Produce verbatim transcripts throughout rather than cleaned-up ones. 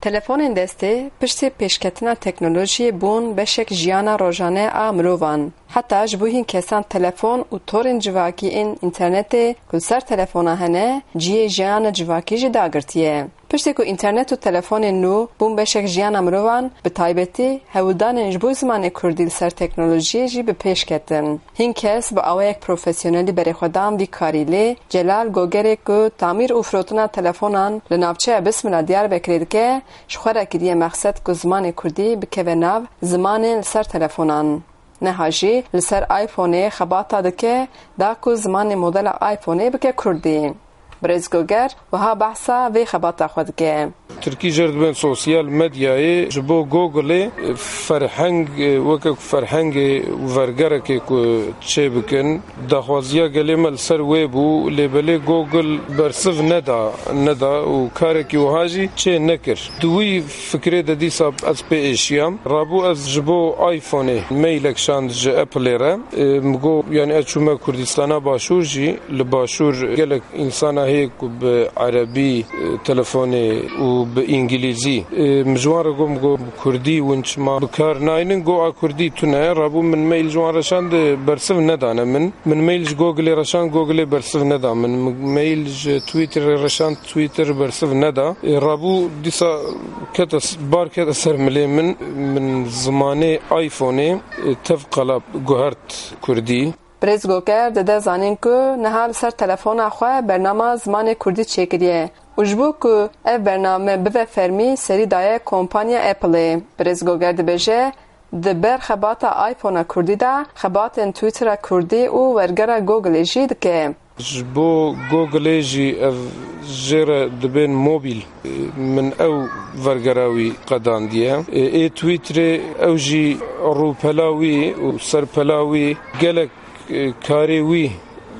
Telefonên destê piştî pêşketina teknolojiyê bûn beşek jiyana rojane a mirovan. Heta ji bo hîn kesan telefon û torên civakî ên înternetê ku li ser telefona hene, cihê jiyana civakî jî dagirtiye. Piştî ku înternet û telefonên nû bûn beşek jiyana mirovan, bi taybetî hewldanên ji bo zimanê kurdî li ser teknolojiyê jî bi pêş ketin. Hin kes bi awayek profesyonelî berê xwe dan vî karî, lê Celal Gogerê ku tamîr û firotina telefonan li navçeya Bismila Diyarbekirê dike, ji xwe re kiriye mexsed ku zimanê kurdî bikeve nav zimanên li ser telefonan. Niha jî li ser iPhoneê xebata dike, da ku zimanê modela iPhoneê bike kurdî. Birêz Goger wiha behsa vê xebata xwe dike. Tirkî jê re dibên sosyal medyayê ji bo Googleê ferheng, weke ku ferhengê û vergerekê ku çê bikin, daxwaziya gelê me li ser wê bû, lê belê Google bersiv neda, neda û karekî wiha jî çê nekir. Di wî fikrê de dîsa ez pê êşiyam. Rabû ez ji bo iPhoneê mailek şand ji Appleê re. E, min got, yanî ez çûme Kurdistana Başûr jî, li Başûr gelek însana heye ku bi erebî, e, telefonê û bi îngilîzî. E, min ji wan re got, min got, bi kurdî hûn çima bi kar naynin? Got, a kurdî tune. Rabû min mail ji wan re şand, bersiv nedane min. Min mail ji Googleê re şand, Googleê bersiv neda min. Min mail ji Twitterê re şand, Twitter bersiv neda. E, rabû dîsa kete s-, bar kete ser milê min. Min zimanê iPhoneê, e, tev qala guhert kurdî. Birêz Goger dide zanîn ku niha li ser telefona xwe bernama zimanê kurdî çêkiriye û ji bo ku ev bername bive fermî, serî daye kompanya Appleê. Birêz Goger dibêje, di ber xebata iPhonea kurdî de xebatên Twittera kurdî û wergera Googleê jî dike. Ji bo Googleê jî ev jê re dibên mobîl. Min ew vergera wî qedandiye. Ê Twitterê ew jî rûpela wî û serpela wî gelek, e, karê wî,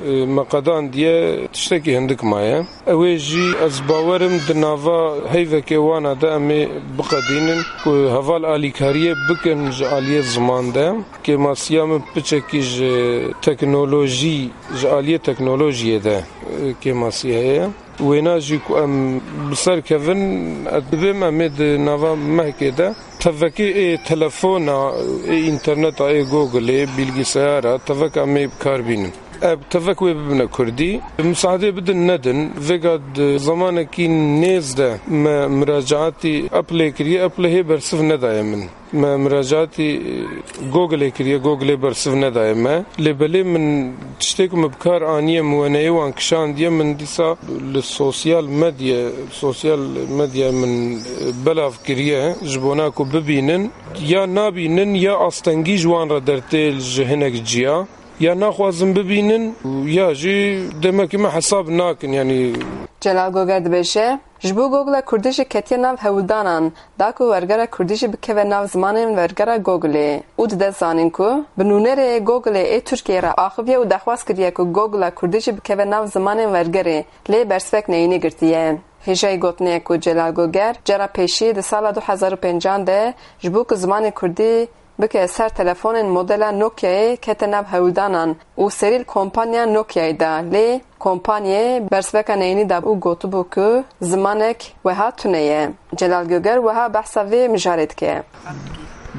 e, me qedandiye, tiştekî hindik maye. Ew ê jî ez bawerim di nava heyvekê wana de em ê biqedînin ku heval alîkariyê bikin ji aliyê ziman de. Kêmasiya min piçekî ji teknolojî, ji aliyê teknolojiyê de, e, kêmasî heye. Wêna jî ku em bi ser kevin, ez dibêm em ê di nava mehkê de tevekê ê telefona, ê înterneta, ê Googleê, bilgisayara, tevek em ê bi kar bînin. Ev tevek wê bibine kurdî. Misadê bidin nedin, vêga di zemanekî nêz de me muracaatî Appleê kiriye, Apple hê bersiv nedaye min. Me muracaatî, e, Googleê kiriye, Googleê bersiv nedaye me. Lê belê min tiştê ku min bi kar aniye, min weneyê wan kişandiye, min dîsa li sosyal medya, sosyal medya min, e, belav kiriye ji bona ku bibînin. Ya nabînin, ya astengî ji wan re dertê ji hinek ciya. Ya naxwazin bibînin, ya jî demekî me hesab nakin, yanî. Celal Goger dibêje, ji bo Google'a Kurdî jî ketiye nav hewldanan, da ku wergera Kurdî jî bikeve nav zimanên wergera Googleê û dide zanîn ku bi nûnerê Googleê ê Tirkiyeyê re axiviye û daxwaz kiriye ku Google'a Kurdî jî bikeve nav zimanên wergerê, lê bersivek neyînî girtiye. Hêjayî gotinê ye ku Celal Goger cara pêşî di sala du hezar û pêncan de ji bo ku zimanê Kurdî bike ser telefonên modela Nokiayê kete nav hewldanan û serî li kompanya Nokiayê da, lê kompanyê bersiveka neyînî da û gotibû ku zimanek wiha tune ye. Celal Goger wiha behsa vê mijarê dike.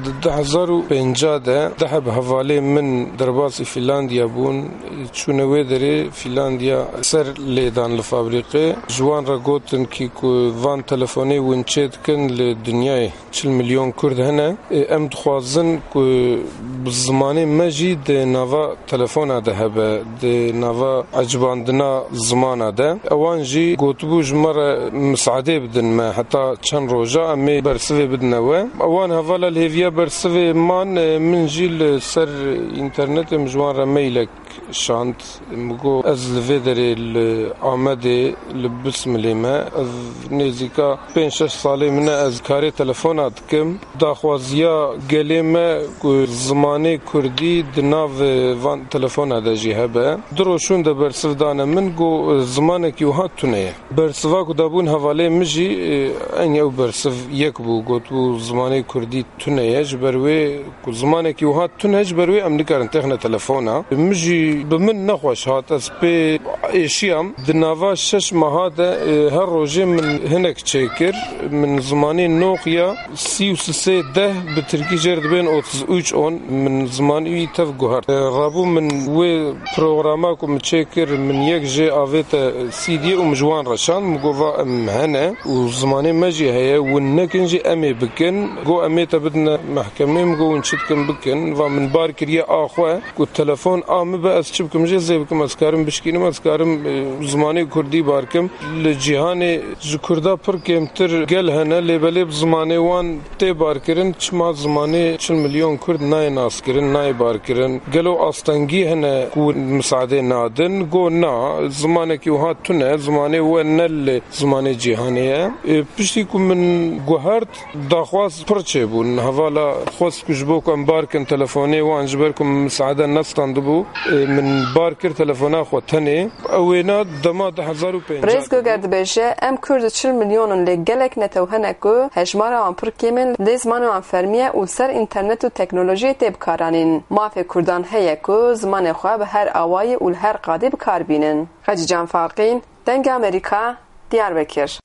Di du hezar û pênca de deh bi hevalê min derbasî Fînlandiya bûn, çûne wê derê Fînlandiya ser lêdan li fabrîqê. Ji wan re gotin kî ku van telefonê hûn çê dikin li dinyayê çil milyon Kurd hene. Ê, em dixwazin ku bi zimanê me jî di nava telefona de hebe, di nava ecibandina zimana de. Ewan jî gotibû ji me re misadê bidin me, heta çend roja em ê bersivê bidine we. Ewan hevala li hêviya bersivê man, ê, min jî li ser înternetê min ji wan re mailek şand. Min got, ez li vê derê li Amedê, li Bismilê me. Ez nêzîka pênc şeş salê min e, ez karê telefona dikim. Daxwaziya gelê me ku zimanê kurdî di nav van telefona de jî hebe. Du roj şûn de bersiv dane min, got, zimanekî wiha tune ye. Bersiva ku dabûn hevalê min jî, e, eynî ew bersiv yek bû, gotibû zimanê kurdî tune ye. ye. Ji ber wê ku zimanekî wiha tune, ji ber wê em nikarin têxine telefona. Min jî bi min nexweş hat, ez pê êşiyam. Di nava şeş meha de, e, her rojê min hinek çêkir. Min zimanê Nokia sî û sê deh, bi tirkî jê re dibên otuz üç on, min zimanî wî tev guhert. E, rabû min wê programa ku min çêkir, min yek jê avête C D'yê û min ji wan re şand, min got, va em hene û zimanê me jî heye, win nekin jî em ê bikin. Got, em ê te bidine mehkemê, min got, win çi dikin bikin. Va min bar kiriye a xwe, ku telefon a min be, ez çi bikim jê zê bikim, ez karim bişkînim, ez karim, e, zimanê kurdî bar kim. Li cîhanê ji kurda pir kêmtir gel hene, lê belê bi zimanê wan tê barkirin, çima zimanê çil milyon kurd nayê naskirin, nayê barkirin? Gelo astengî hene ku misadê nadin? Go na, zimanekî wiha tune, zimanê we ne li zimanê cîhanê ye. E, piştî ku min guhert, daxwaz pir çêbûn. Hevala xwest ku ji bo ku em barkin telefonê wan, ji ber ku min misaade nestandibû, e, min bar kir telefona xwe tenê. Ew wêna dema du hezar û pêncî. Rêz Goger dibêje, em Kurd çil milyon in, lê gelek netew hene ku hejmara wan pir kêm in, lê zimanê wan fermî ye û li ser înternet û teknolojiyê tê bikaranîn. Mafê Kurdan heye ku zimanê xwe bi her awayî û li her qadê bi kar bînin. Xecîcan Farqîn, Dengê Amerîka, Diyarbekir.